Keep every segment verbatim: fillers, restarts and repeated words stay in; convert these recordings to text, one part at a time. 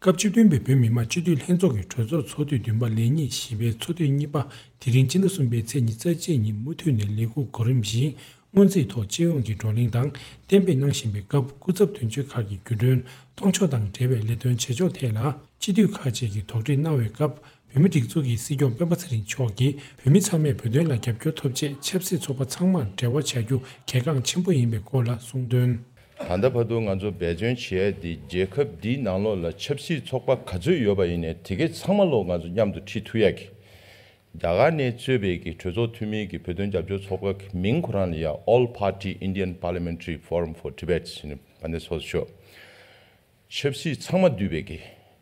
སྐབས་བཅུ་བདུན་པའི་བོད་མི་མང་སྤྱི་འཐུས་ལྷན་ཚོགས་ཀྱི་གྲོས་ཚོགས་ཚོགས་དུས་བདུན་པ་ལས་གཉིས་བཞི་པའི་ཚོགས་དུས་གཉིས་པ་དེ་རིང་སྤྱི་ཟླ་གསུམ་པའི་ཚེས་ཉི་ཤུ་རྩ་གཅིག་ཉིན་མུ་མཐུད་ནས་ལས་ཁུངས་གོ་རིམ་བཞིན་སྔོན་རྩིས་ཐོག་སྤྱི་ཡོངས་ཀྱི་བགྲོ་གླེང་དང་གཏན་འབེབས་གནང་བཞིན་པའི་སྐབས། སྐུ་ཚབ་དོན་གཅོད་ཁག་གི་བརྒྱུད་འཕྲིན་གཏོང་ཕྱོགས་དང་འབྲེལ་བའི་ལས་དོན་བྱེད་ཕྱོགས་ཐད་ལ་སྤྱི་འཐུས་ཁག་ཅིག་གིས་དོགས་འདྲི་གནང་བའི་སྐབས། བོད་མིའི་སྒྲིག་འཛུགས་ཀྱི་སྲིད་སྐྱོང་སྤེན་པ་ཚེ་རིང་མཆོག་གིས་བོད་མི་ཚང་མས་བོད་དོན་ལ་རྒྱབ་སྐྱོར་ཐོབ་ཆེད་ཆབ་སྲིད་ཚོགས་པ་ཚང་མར་འབྲེལ་བ་བྱ་རྒྱུ་གལ་འགངས་ཆེན་པོ་ཡིན་པའི་སྐོར་ལ་གསུངས་དོན། ད་ལྟ་བར་དུ་ང་ཚོ་འབད་བརྩོན་བྱས་ཏེ་རྒྱལ་ཁབ་འདིའི་ནང་ལོགས་ལ་ཆབ་སྲིད་ཚོགས་པ་ག་ཚོད་ཡོད་པ་ཡིན་ནའི་དེ་གའི་ཚང་མ་ལོག་ང་ཚོ་མཉམ་དུ་ཁྲིད་ཐུབ་ཡག་གི། རྒྱ་གར་ནས་གཙོས་པའི་གི་གྲོས་ཚོགས་འཐུས་མིའི་གི་བོད་དོན་རྒྱབ་སྐྱོར་ཚོགས་པ་གི་མིང་ཁོ་རང་ལ་ཡ་All Party Indian Parliamentary Forum for Tibet ཟེར་ནས་པ་ནས་སོགས་ཤོག་ཆབ་སྲིད་ཚང་མ་འདུས་པའི་གི།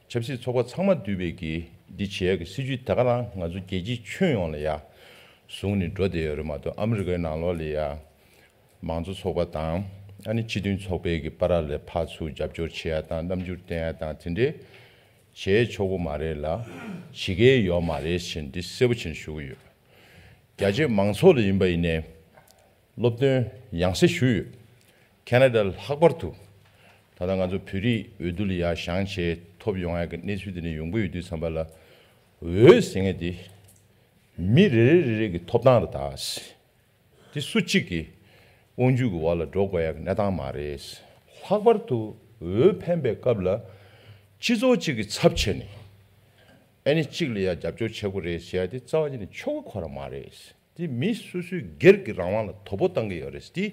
ཆབ་སྲིད་ཚོགས་པ་ཚང་མ་འདུས་པའི་གི་འདི་བྱེད་ཡག་གི་སྲིད་ཇུས་ད་ག་རང་ང་ཚོ་རྒྱལ་སྤྱིའི་ཁྱོན་ཡོངས་ལ་ཡ་བཟུང་ནས་འགྲོ་བསྡད་ཡོད་རེད་མ་གཏོགས། ཨ་མི་རི་ཀའི་ནང་ལོགས་ལ་ཡ་མང་གཙོ་ཚོགས་པ་དང་ཨ་ནི་སྤྱི་མཐུན་ཚོགས་པའི་གི་བར་ལ་ཕར་ཚུར་རྒྱབ་སྐྱོར་བྱེད་ཡག་དང་རྣམ་འགྱུར་བསྟན་ཡག་དང་དེ་འདྲའི་བྱེད་ཆོག་གི་མ་རེད་ལ། བྱེད་ཀྱི་ཡོད་མ་རེད་ཟེར་འདི་གསལ་པོ་བྱས་ནས་ཞུ་གི་ཡོད། རྒྱ་ཆེ་མང་ཚོགས་ལ་ཡིན་པ་ཡིན་ནའི། སློབ་སྟོན་ཡང་སེ་ཞུས་ཡོད། ཁེ་ན་ཌ་ལྷག་པར་དུ། ད་ལྟ་ང་ཚོ་བོད་རིགས་འོས་བསྡུ་ལ་ཡར་བཞེངས་བྱས་ཐོབ་ཡོང་ཡག་གི་གནས་ཚུལ་དེ་འདྲ་ཡོང་གི་ཡོད་དུས་ཙམ་པ་ལ། འོས་ཟེར་མཁན་དེ་མི་རེ་རེ་རེ་རེ་གི་ཐོབ་ཐང་རེད་ད། དེ་སུ་གཅིག་གི་དབང་སྒྱུར་གྱི་འོག་ལ་འགྲོ་དགོས་ཡག་གི་གནས་སྟངས་མ་རེད། ལྷག་པར་དུ་འོས་འཕེན་པའི་སྐབས་ལ་སྤྱི་ཚོགས་གཅིག་གི་ཚབ་བྱས་ནས་ཨ་ནི་གཅིག་ལ་ཡ་རྒྱབ་སྐྱོར་བྱེད་དགོས་རེད་ཟེར་ཡ་དེ་རྩ་བ་ཉིད་ནས་ཆོག་གི་ཁོ་རང་མ་རེད། དེ་མི་སོ་སོའི་སྒེར་གྱི་རང་དབང་ལ་དོ་ཕོག་བཏང་གི་ཡོད་རེད། དེ་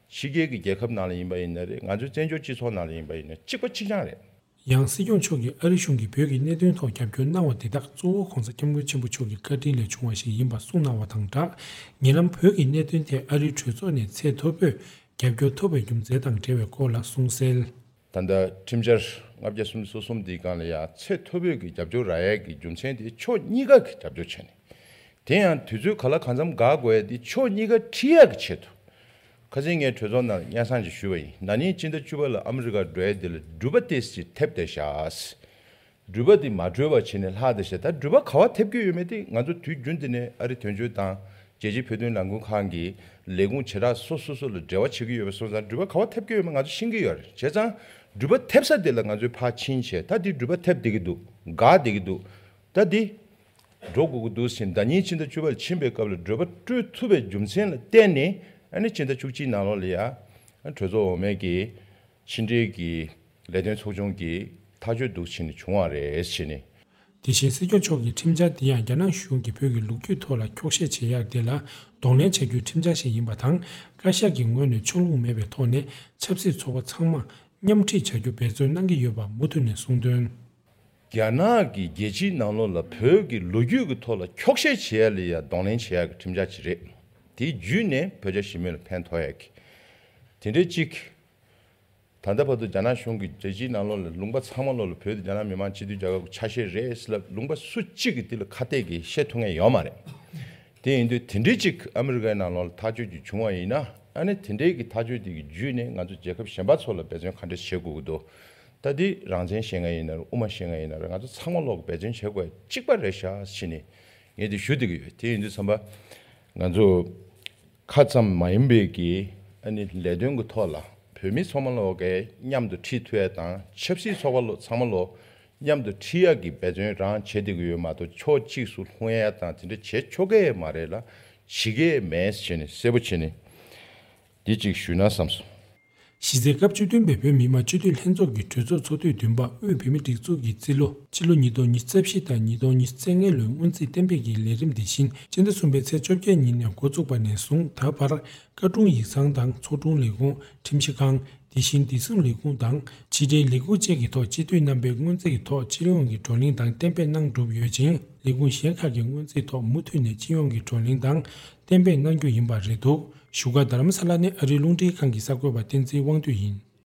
ཕྱི་རྒྱལ་གྱི་རྒྱལ་ཁབ་ནང་ལ་ཡིན་པ་ཡིན་ན་རེད། ང་ཚོའི་བཙན་བྱོལ་སྤྱི་ཚོགས་ནང་ལ་ཡིན་པ་ཡིན་ན་གཅིག་པ་གཅིག་རྐྱང་རེད། ཡང་སྲིད་སྐྱོང་མཆོག་གིས་ཨ་རིའི་གཞུང་གིས་བོད་ཀྱི་གནད་དོན་ཐོག་རྒྱབ་སྐྱོར་གནང་བ་དེ་དག་གཙོ་བོ་༸གོང་ས་༸སྐྱབས་མགོན་ཆེན་པོ་མཆོག་གི་བཀའ་དྲིན་ལས་བྱུང་བ་ཞིག་ཡིན་པ་གསུངས་གནང་བ་དང་སྦྲགས། ཉེ་ལམ་བོད་ཀྱི་གནད་དོན་ཐད་ཨ་རིའི་གྲོས་ཚོགས་ནས་ཚད་མཐོ་པོས་རྒྱབ་སྐྱོར་ཐོབ་པའི་རྒྱུ་མཚན་དང་འབྲེལ་བའི་སྐོར་ལ་གསུངས་གསལ། ད་ལྟ་ཁྲིམས་འཆར་ལྔ་བརྒྱ་སུམ་ཅུ་སོ་གསུམ་འདིའི་སྒང་ལ་ཡང་ཚད་མཐོ་པོས་ཀྱི་རྒྱབ་སྐྱོར་རག་ཡས་ཀྱི་རྒྱུ་མཚན་དེ་ཕྱོགས་གཉིས་ཀ་གི་རྒྱབ་སྐྱོར་བྱས་ནས། དེ་ཡང་དུས་ཚོད་ག་ལ་གང་འཚམ་འགག་དགོས་ཡས་དེ་ཕྱོགས་གཉིས་ཀ་ཁྲིད་ཡག་གི་ཆེད་དུ། ཁ་སང་ངས་གྲོས་ཚོགས་ནང་སྙན་སེང་ཅིག་ཞུས་པ་ཡིན། ན་ནིང་སྤྱི་ཟླ་བཅུ་པ་ལ་ཨ་མི་རི་ཀར་འགྲོ་ཡས་དེ་ལ་འགྲུལ་པ་ཏོག་ཙམ་ཐེབས་བསྡད་ཤག་འགྲུལ་པ་དེ་མ་འགྲོ་བ་བྱས་ནས་ལྷག་བསྡད་ཤག་ད་འགྲུལ་པ་ག་བ་ཐེབས་ཀྱི་ཡོད་མེད་དེ་ང་ཚོ་དུས་རྒྱུན་དེ་ནས་ཨ་རི་དོན་གཅོད་དང་རྒྱལ་སྤྱིའི་བོད་དོན་ལས་འགུལ་ཁང་གི་ལས་ཁུངས་བྱེ་བྲག་སོ་སོ་སོ་ལ་འབྲེལ་བ་བྱེད་ཀྱི་ཡོད་པ་སོང་ཙང་འགྲུལ་པ་ག་བ་ཐེབས་ཀྱི་ཡོད་མེད་ང་ཚོ་ཤེས་ཀྱི་ཡོད་རེད། བྱས་ཙང་འགྲུལ་པ་ཐེབས་ས་དེ་ལ་ང་ཚོས་ཕར་ཕྱིན་བྱས། ད་དེ་འགྲུལ་པ་ཐེབས་བསྡད་ཀྱི་འདུག་འགག་བསྡད་ཀྱི་འདུག་ད་དེ་འགྲོ་དགོས་ཀྱི་འདུག་ཟེར་ཟླ་ཉིན་ཕྱི་ཟླ་བཅུ་པར་ཕྱིན་པའི་སྐབས་ལ་འགྲུལ་པ་སྤྲོད་ཐུབ་པའི་རྒྱུ་མཚན་ལ་བརྟེན་ནས་ཨ་ནི་ཕྱི་ཟླ་བཅུ་གཅིག་ནང་ལོགས་ལ་ཡ་གྲོས་ཚོགས་འོག་མའི་གི་ཕྱི་འབྲེལ་གྱི་ལས་དོན་ཚོགས་ཆུང་གིས་ཐག་གཅོད་འདུག་བྱས་ནས་བྱུང་བ་རེད་ཟེར་ནས། དེ་བཞིན་སྲིད་སྐྱོང་མཆོག་གིས་ཁྲིམས་འཆར་དེ་ཡང་རྒྱ་ནག་གཞུང་གིས་བོད་ཀྱི་ལོ་རྒྱུས་ཐོག་ལ་འཁྱོག་བཤད་བྱེད་ཡག་དེ་ལ་གདོང་ལེན་བྱ་རྒྱུའི་ཁྲིམས་འཆར་ཞིག་ཡིན་པ་དང་། བཀའ་ཤག་གི་ངོས་ནས་ཕྱོགས་ལྷུང་མེད་པའི་ཐོག་ནས་ཆབ་སྲིད་ཚོགས་པ་ཚང་མ་མཉམ་ཁྲིད་བྱ་རྒྱུ་འབད་བརྩོན་གནང་གི་ཡོད་པ་མུ་མཐུད་ནས་གསུངས་དོན། རྒྱ་ནག་གིས་རྒྱལ་སྤྱིའི་ནང་ལོགས་ལ་བོད་ཀྱི་ལོ་རྒྱུས་ཀྱི་ཐོག་ལ་འཁྱོག་བཤད་བྱེད་ཡ་ལ་ཡ་གདོང་ལེན་བྱེད་ཡ་གི་ཁྲིམས་འཆར་ཅིག་རེད། དེ་བརྒྱུད་ནས་བོད་རྒྱ་ཞི་མོལ་ལ་ཕན་ཐོགས་ཡ་གི་དེ་འདྲའི་གཅིག་ད་ལྟ་བར་དུ་རྒྱ་ནག་གཞུང་གིས་རྒྱལ་སྤྱིའི་ནང་ལོགས་ལ་ལུང་པ་ཚང་མ་ལོགས་ལ་བོད་དེ་རྒྱ་ནག་མི་དམངས་སྤྱི་མཐུན་རྒྱལ་ཁབ་ཀྱི་ཆ་ཤས་རེད་ཟེར་ལབ་ལུང་པ་སུ་གཅིག་གིས་དེ་ལ་ཁ་གཏད་ཀྱིས་བཤད་ཐུབ་མཁན་ཡོད་མ་རེད། དེ་ཡིན་དུས་དེ་འདྲའི་གཅིག་ཨ་མི་རི་ཀའི་ནང་ལོགས་ལ་ཐག་གཅོད་ཅིག་བྱུང་བ་ཡིན་ན་ཨ་ནི་དེ་འདྲའི་གི་ཐག་གཅོད་དེ་གི་བརྒྱུད་ནས་ང་ཚོ་རྒྱལ་ཁབ་གཞན་པ་ཚོ་ལ་འབད་བརྩོན་ག་འདྲ་བྱེད་དགོས་ཀྱི་འདུག་ད་དེ་རང་བཙན་བཤད་མཁན་ཡིན་ན་རེད། དབུ་མ་བཤད་མཁན་ཡིན་ན་རེད། ང་ཚོ་ཚང་མ་ལོག་གི་འབད་བརྩོན་བྱེད་དགོས་གཅིག་པ་རེད་ཤག་ཟེར་ནས་ངས་དེ་ཞུ་བསྡད་ཀྱི་ཡོད། དེ་ཡིན་དུས་ཙམ་པ་ང་ཚོ་ཁ་ཙམ་མ་ཡིན་པའི་གི་ཨ་ནི་ལས་དོན་གྱི་ཐོག་ལ་བོད་མི་ཚང་མ་ལོག་གི་མཉམ་དུ་ཁྲིད་ཐུབ་ཡ་དང་ཆབ་སྲིད་ཚོགས་པ་ལོ་ཚང་མ་ལོག་མཉམ་དུ་ཁྲིད་ཡ་གི་འབད་བརྩོན་རང་བྱེད་བསྡད་ཀྱི་ཡོད་མ་གཏོགས་ཕྱོགས་གཅིག་སུ་ལྷུང་ཡ་དང་དེ་འདྲ་བྱེད་ཆོག་གི་མ་རེད་ལ་བྱེད་ཀྱི་མེད་ཟེར་ནས་གསལ་པོ་བྱས་ནས་འདི་གཅིག་ཞུས་ན་བསམ་སོང་། གཞི་རྩའི་སྐབས་བཅུ་བདུན་པའི་བོད་མི་མང་སྤྱི་འཐུས་ལྷན་ཚོགས་ཀྱི་གྲོས་ཚོགས་ཚོགས་དུས་བདུན་པ་དབུས་བོད་མིའི་སྒྲིག་འཛུགས་ཀྱི་རྩིས་ལོ་སྤྱི་ལོ་ཉིས་སྟོང་ཉི་ཤུ་རྩ་བཞི་དང་ཉིས་སྟོང་ཉི་ཤུ་རྩ་ལྔ་ལོའི་སྔོན་རྩིས་གཏན་འབེབས་ཀྱི་ལས་རིམ་དེ་བཞིན་སྤྱི་ཟླ་གསུམ་པའི་ཚེས་བཅོ་བརྒྱད་ཉིན་ནས་འགོ་བཙུགས་པ་ནས་བཟུང་ད་བར་བཀའ་དྲུང་ཡིག་ཚང་དང་ཚོགས་དྲུང་ལས་ཁུངས། ཁྲིམས་ཞིབ་ཁང་། དེ་བཞིན་བདེ་སྲུང་ལས་ཁུངས་དང་ཕྱི་འབྲེལ་ལས་ཁུངས་བཅས་ཀྱི་ཐོག་སྤྱི་འཐུས་རྣམ་པས་སྔོན་རྩིས་ཀྱི་ཐོག་སྤྱི་ཡོངས་ཀྱི་བགྲོ་གླེང་དང་གཏན་འབེབས་གནང་གྲུབ་ཡོད་ཅིང་། ལས་ཁུངས་གཞན་ཁག་གི་སྔོན་རྩིས་ཐོག་མུ་མཐུད་ནས་སྤྱི་ཡོངས་ཀྱི་བགྲོ་གླེང་དང་གཏན་འབེབས་གནང་རྒྱུ་ཡིན་པ་རེད་འདུག་བཞུགས་སྒར་རྡ་རམ་ས་ལ་ནས་ཨ་རིའི་རླུང་འཕྲིན་ཁང་གི་གསར་འགོད་པ་བསྟན་འཛིན་དབང་འདུས་ཡིན།